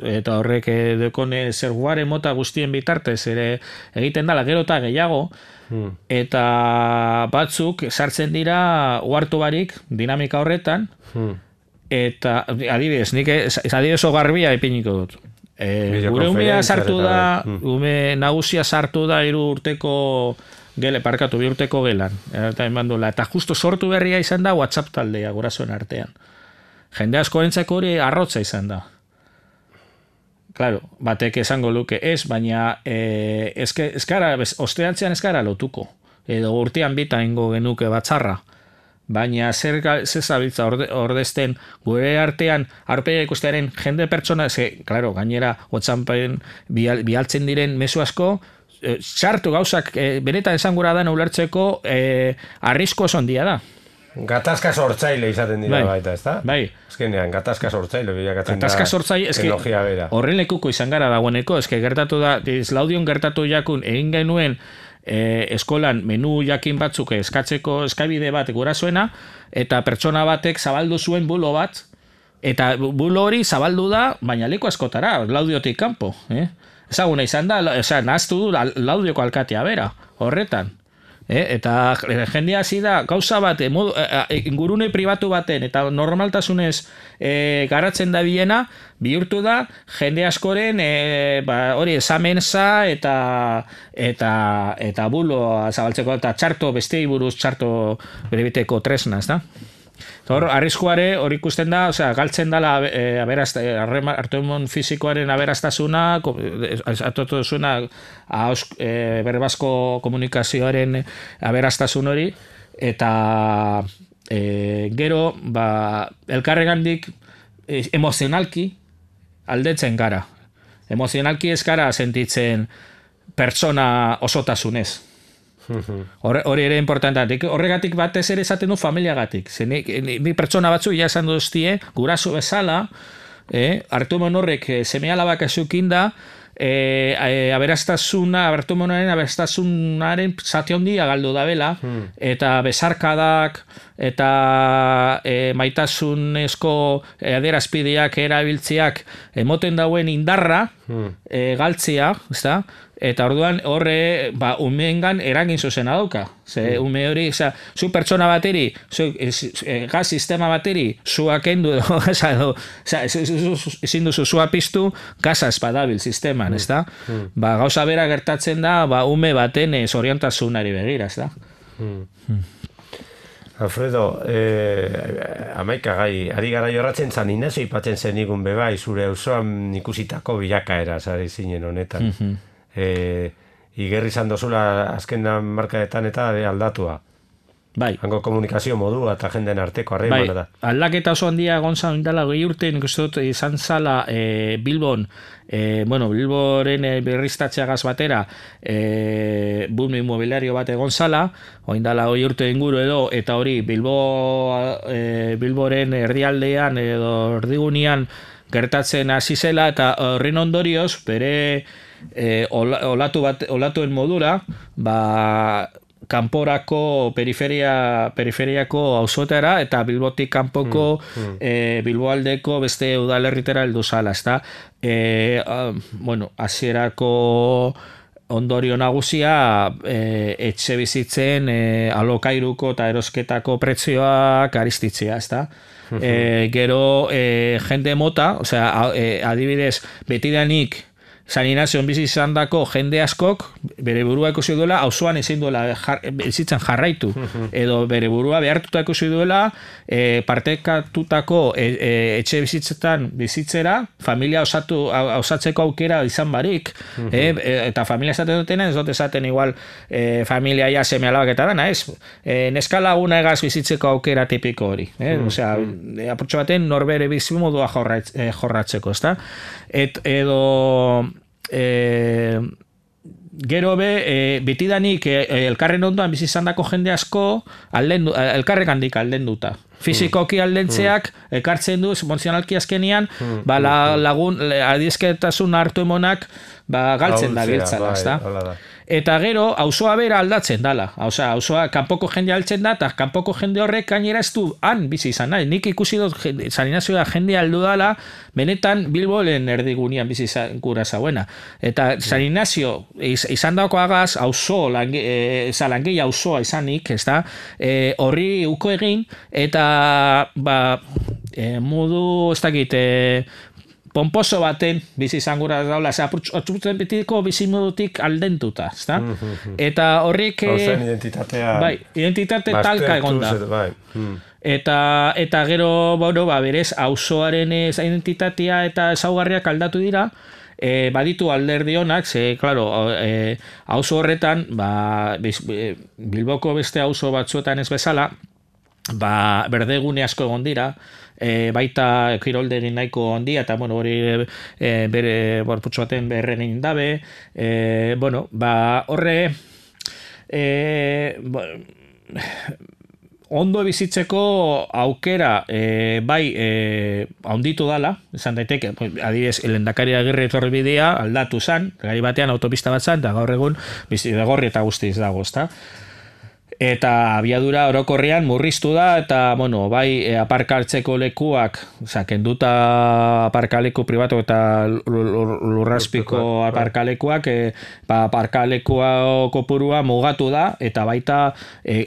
eta horrek dekone zerguare mota guztien bitartez ere egiten dala gero eta gehiago, eta batzuk sartzen dira uhartu barik dinamika horretan, eta adibidez, nik adibidez garbia ipiniko dut. Gure umea sartu da, ume nagusia sartu da 3 urteko bi urteko gelan. Eta justo sortu berria izan da WhatsApp taldea gurasoen artean. Jende askorentzako hori arrotza izan da. Claro, batek esango luke ez, baina osteantzean ez gara lotuko. Edo urtean bita ingo genuke batzarra. Baina zer zabiltza ordezten gure artean aurpegia ikustearen jende pertsona, claro, gainera WhatsAppen bialtzen diren mezu asko, sartu gauzak benetan esan gura da ulertzeko arrisko oso handia da. Gatazka sortzaile izaten dira baita, ez da? Bai. Ezkenean, gatazka sortzaile bilakatzen da teknologia bera. Horren lekuko izan gara dagoeneko, gertatu da, Laudion gertatu jakun, egin genuen eskolan menu jakin batzuk eskatzeko eskabide bat gurasoena, eta pertsona batek zabaldu zuen bulo bat, eta bulo hori zabaldu da, baina leku askotara, Laudiotik kanpo. Ezaguna izan da, nahaztu du Laudioko alkatea bera, horretan. Eta jendea hasi da gauza bat ingurune pribatu baten eta normaltasunez garatzen da bilena, bihurtu da jende askoren hori esamensa eta buloa zabaltzeko eta txarto bestei buruz txarto berebiteko tresna, ez da? Hor, arriskuare hori ikusten da, galtzen dela hartuemon fisikoaren aberastasuna, atotu zuena berbazko komunikazioaren aberastasun hori, eta gero, elkarregandik emozionalki aldetzen gara. Emozionalki ez gara sentitzen pertsona osotasunez. Hori ere importantea. Horregatik batez ere esaten du familiagatik. Ni pertsona batzu ja esan duztie, guraso bezala, hartuemon horrek seme-alabak ezukin da, hartuemonaren aberastasunaren zati handia galdu da bela, eta besarkadak, eta maitasunezko adierazpideak erabiltzeak emoten dauen indarra galtzea, ezta? Eta orduan horre umeengan eragin zuzena dauka. Ume hori, zu pertsona bateri, gaz sistema bateri, zuak endu, ezin duzu zua piztu, gazaz badabil sisteman, ez da? Gauza bera gertatzen da, ume baten zoriontasunari begira, ez da? Alfredo, amaika gai, ari gara jorratzen zan inazo ipatzen zen igun bebai, zure auzoan ikusitako bilakaera, zare zinen honetan. igerri izan dozula azken markadetan eta aldatua. Bai. Hango komunikazio modua eta jenden arteko harremana da. Aldaketa oso handia gontzan indala 20 urte, nik uste dut izan zala Bilbon, Bilboren berriztatzeagaz batera boom inmobiliario bat egon zala, oindala 20 urte inguru edo, eta hori Bilboren erdialdean edo erdigunean gertatzen hasi zela, eta horren ondorioz, bere olatuen modura, kanporako periferiako auzotara eta Bilbotik kanpoko Bilboaldeko beste udalerritera heldu zala, ezta? Hasierako ondorio nagusia etxe bizitzen alokairuko eta erosketako prezioak aristitzea, ezta? Gero jende mota, adibidez, betidanik San Inazion bizi izan dako jende askok bere burua ikusi duela auzoan ezin duela bizitzen jarraitu edo bere burua behartuta ikusi duela partekatutako etxe bizitzetan bizitzera familia osatzeko aukera izan barik eta familia esaten dutena ez dut esaten igual familia ja seme alabak eta dana ez neskalaguna egaz bizitzeko aukera tipiko hori apurtxo baten norbere bizimodua jorratzeko ezta edo gero betidanik elkarren ondoan bizi izandako jende asko elkarregandik aldenduta. Fisikoki aldentzeak ekartzen du emozionalki azkenean lagun adizketasun hartu emonak galtzen da biltzala, ezta? Eta gero, auzoa bera aldatzen dala. Auzoa kanpoko jende altzen da, eta kanpoko jende horrek gainera ez du han bizi izan nahi. Nik ikusi dut San Inazioa jende aldu dala, benetan Bilbolen erdigunean bizi izan gura zauena. Eta San Inazio izan dauko agaz, langei auzoa izanik, ez da, horri uko egin, eta modu, ez dakit, pomposo baten bizi izan gura daula, atxuputzen betiko bizimodutik aldentuta, ezta? Eta horrek identitatea identitate talka egon da. Eta gero, berez, auzoaren identitatea eta ezaugarriak aldatu dira, baditu alderdi honak, claro, auzo horretan, Bilboko beste auzo batzuetan ez bezala, berdegune asko egon dira, baita kiroldegin nahiko handia eta hori bere borputxo baten berren egin dabe horre ondo bizitzeko aukera handitu dala, esan daiteke adibidez, Lehendakari Agirre etorri bidea aldatu zan, gai batean autopista bat zan, eta gaur egun Bizigorri eta guztiz dago, ezta? Eta abiadura orokorrean murriztu da, eta, aparkaltzeko lekuak, kenduta aparkaleku pribatu eta lurraspiko aparkalekuak, aparkalekua kopurua mugatu da, eta baita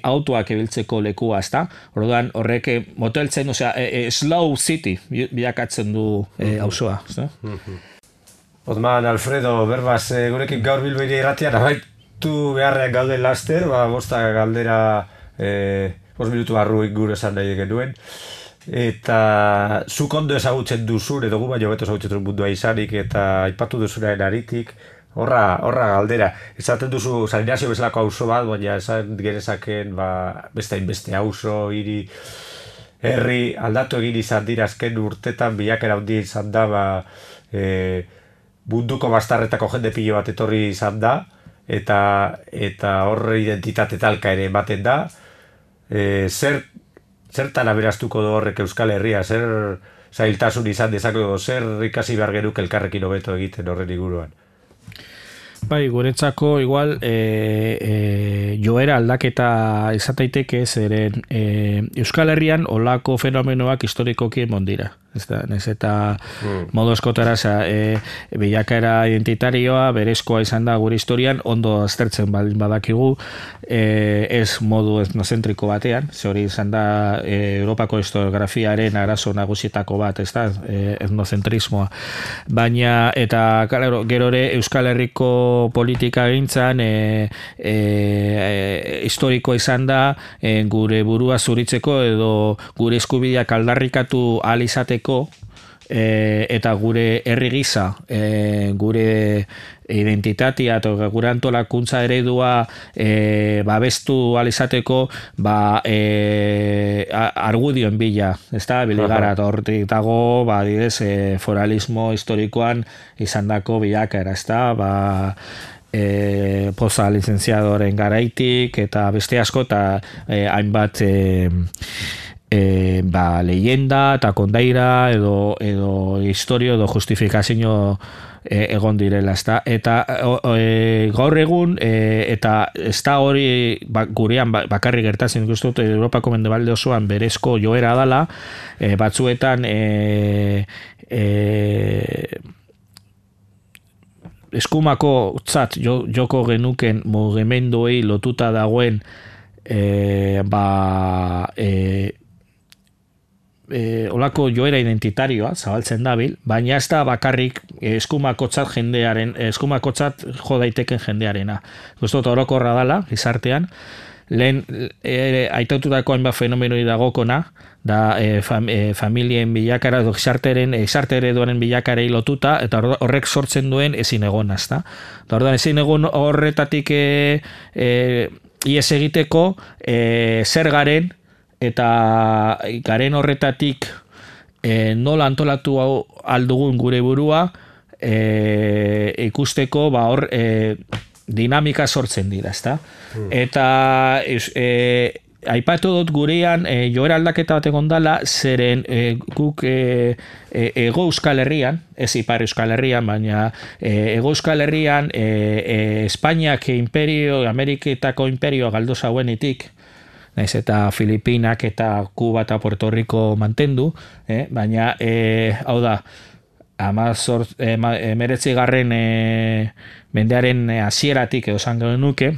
autoak ebiltzeko lekua, ezta? Orduan, horrek moteltzen, slow city bilakatzen du auzoa, ezta? Otman, Alfredo, berbaz, gurekin gaur Bilbiri irratian, beharrean gaude laster, bosta galdera 5 minutu barruik gure esan nahi genuen, eta zuk ondo ezagutzen duzun, edo gu baino beto ezagutzen duzun mundua izanik, eta aipatu duzunaren aritik, horra galdera, esaten duzu San Inazio bezalako auzo bat, baina esan genezaken beste hainbeste auzo, hiri, herri, aldatu egin izan dira azken urtetan, bilakera handia izan da, munduko bastarretako jende pilo bat etorri izan da, eta horre identitate talka ere ematen da, zertan aberaztuko du horrek Euskal Herria, zer zailtasun izan dezakego, zer ikasi behar genuke elkarrekin hobeto egiten horren inguruan? Guretzako igual joera aldaketa izataiteke zeren Euskal Herrian olako fenomenoak historikoki emon dira. Nez eta modu eskotara bilakaera identitarioa berezkoa izan da gure historian ondo aztertzen badakigu ez modu etnozentriko batean, ze hori izan da Europako historiografiaren arazo nagusietako bat, ez da, etnocentrismoa. Baina, eta gero ere Euskal Herriko politika gintzan historiko izan da gure burua zuritzeko edo gure eskubideak aldarrikatu ahal izateko eta gure herri gisa, gure identitatea eta gure antolakuntza eredua babestu alizateko argudioen bila, ez da, biligara, eta hortik dago, foralismo historikoan izandako bilakaera, ez da, poza licenciadoren garaitik, eta beste asko, eta hainbat leyenda eta kondaira edo historio edo justifikazio egon direla, ezta? Eta gaur egun eta ez da hori gurean bakarrik gertatzen ikusten dut Europako mendebalde osoan berezko joera dala, batzuetan eskumako tzat joko genuken mugimenduei lotuta dagoen olako joera identitarioa zabaltzen dabil, baina ez da bakarrik eskumakotzat jo daiteken jendearena. Guztot orokorra dala, gizartean, lehen aitaututako hainbat fenomenoi dagokona, da familien bilakara, gizarte ereduaren bilakarei lotuta, eta horrek sortzen duen ezin egon, ezta? Orduan ezin egon horretatik ies egiteko zer garen, eta garen horretatik nola antolatu aldugun gure burua ikusteko hor dinamika sortzen dira, ezta? Eta aipatu dut gurean joera aldaketa bat egon dala, zeren guk Hego Euskal Herrian, ez Ipar Euskal Herrian, baina Hego Euskal Herrian Espainiak Ameriketako imperioa galdu zauenetik, naiz eta Filipinak eta Kuba eta Puerto Rico mantendu, baina hau da, 19. Mendearen hasieratik edo esan genuke,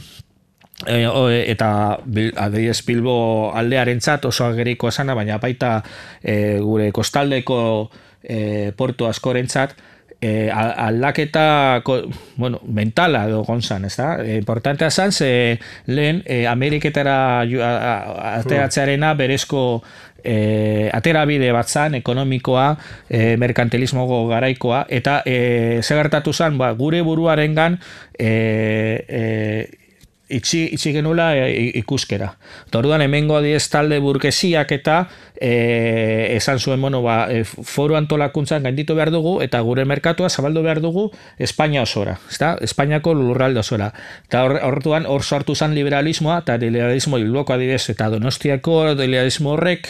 eta adibidez Bilbo aldearentzat oso ageriko esana, baina baita gure kostaldeko portu askorentzat aldaketa mentala edo gonzan, ez da? Importantea zan, ze lehen Ameriketara ateratzearena berezko aterabide bat zan, ekonomikoa, merkantilismo garaikoa, eta segertatu zan, gure buruarengan itxi genula ikuskera. Orduan hemengo adiez talde burgesiak eta esan zuen, foru antolakuntzan gainditu behar dugu eta gure merkatua zabaldu behar dugu Espainia osora, ezta? Espainiako lurralde osora. Eta orduan hor sortu zen liberalismoa, eta liberalismo Bilboko adibidez eta Donostiako liberalismo horrek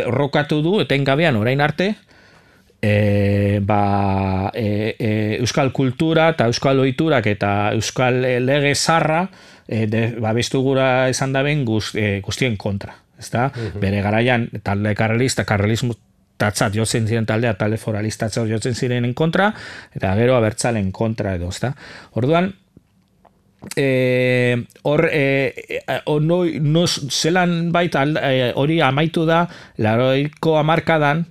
rokatu du etengabean orain arte euskal kultura eta euskal ohiturak eta euskal lege zarra babestu gura esan daben guztien kontra, ezta? Bere garaian talde karlismo tatzat jotzen ziren taldea, talde foralistatzat jotzen zirenen kontra, eta gero abertzalen kontra edo, ezta? Orduan, zelan baita hori amaitu da 80ko hamarkadan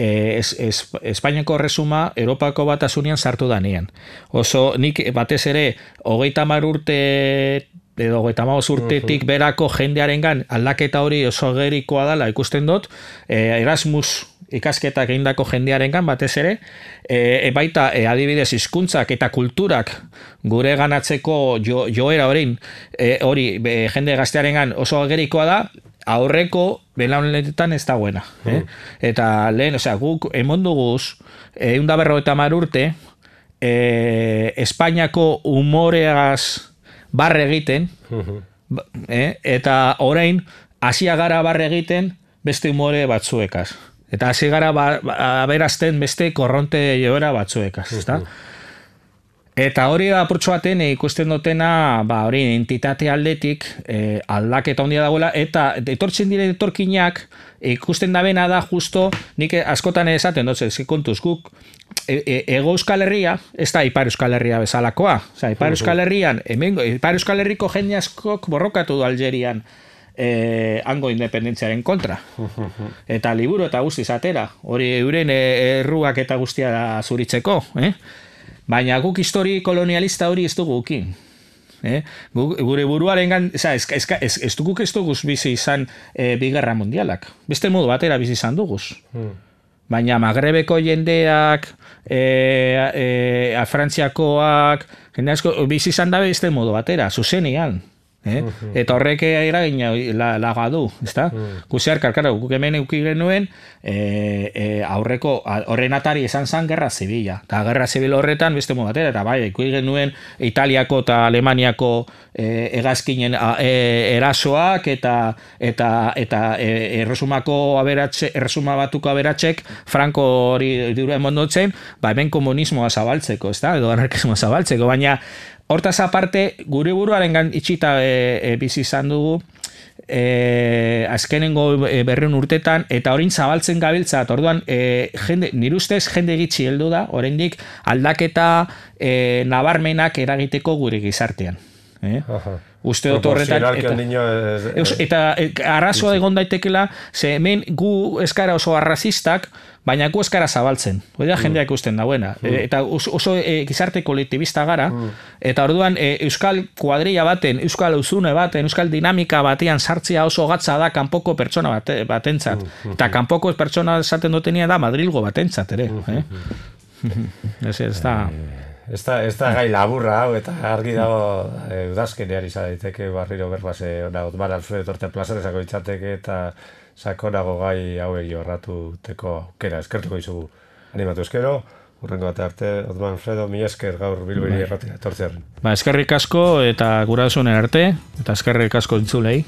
Espainiako resuma Europako Batasunian sartu danean. Oso nik batez ere 30 urte edo 35 urtetik berako jendearengan aldaketa hori oso gerikoa dela ikusten dut, Erasmus ikasketak egindako jendearengan batez ere, baita adibidez hizkuntzak eta kulturak gure ganatzeko joera hori jende gaztearengan oso gerikoa da, aurreko belaunetan ez dagoena. Eta lehen, guk emonduguz 150 urte Espainiako humoreaz barre egiten, eta orain hasia gara barre egiten beste humore batzuekaz. Eta hasi gara aberazten beste korronte joera batzuekaz, ezta? Eta hori da apurtxo baten ikusten dutena, hori entitate aldetik aldaketa handia dagoela, eta etortzen dire etorkinak ikusten dabena da justo, nik askotan esaten dut, kontuz guk Hego Euskal Herria, ez da Ipar Euskal Herria bezalakoa. Ipar Euskal Herrian, Ipar Euskal Herriko jende askok borrokatu du Algerian hango independentziaren kontra. Eta liburu eta guztiz atera. Hori euren erruak eta guztia zuritzeko. Baina guk histori kolonialista hori ez dugu ukin. Gure buruaren ez duguz bizi izan Bigarra Mundialak. Beste modu batera bizi izan duguz. baina Magrebeko jendeak, Frantziakoak, jende asko, bizi izan dabe beste modu batera, zuzenean. Eta horrek eragina laga du, ezta? Guziar, guk hemen euki genuen aurreko, horren atari esan zan Gerra Zibila. Eta Gerra Zibil horretan beste modu batera, eta bai, euki genuen Italiako eta Alemaniako hegazkinen erasoak eta erresuma batuko aberatsek Franco hori dura emondotzen, hemen komunismoa zabaltzeko, ezta? Edo anarkismoa zabaltzeko, baina hortaz aparte, gure buruaren itxita bizi izan dugu, azkenengo 200 urtetan, eta orain zabaltzen gabiltza, orduan, nire ustez jende gitxi heldu da, oraindik aldaketa nabarmenak eragiteko gure gizartean. Uste dut horretan eta arrazoa egon daitekela, ze hemen gu eskara oso arrazistak, baina gu eskara zabaltzen, hori jendeak ikusten dauena, eta oso gizarte kolektibista gara, eta orduan euskal kuadrilla baten, euskal uzune baten, euskal dinamika batean sartzea oso gatza da kanpoko pertsona batentzat, eta kanpoko pertsona esaten dutenia da Madrilgo batentzat ere. Ez da... Ez da gai laburra hau, eta argi dago udazkenean izan daiteke barriro berbase Otmar Alfredo Torte plazarezako itzateke eta sakonago gai hauei jorratuteko aukera. Eskertuko izugu animatu eskero, urrengo bat arte, Otmar Alfredo, mila esker gaur Bilbori erratia, etortzearen. Eskerrik asko eta gurasoen arte, eta eskerrik asko entzulei.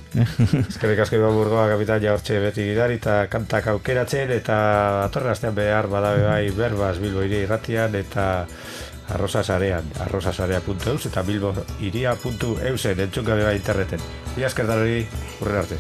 Eskerrik asko Iban Burgoa kapitaina hortxe beti gidari eta kantak aukeratzen, eta atorren astean behar badabe bai berbaz Bilbori erratian, eta arrosasarean, arrosasarea.eus eta bilboiria.eusen entzun gabe bai interneten. Mila esker darori, urren arte.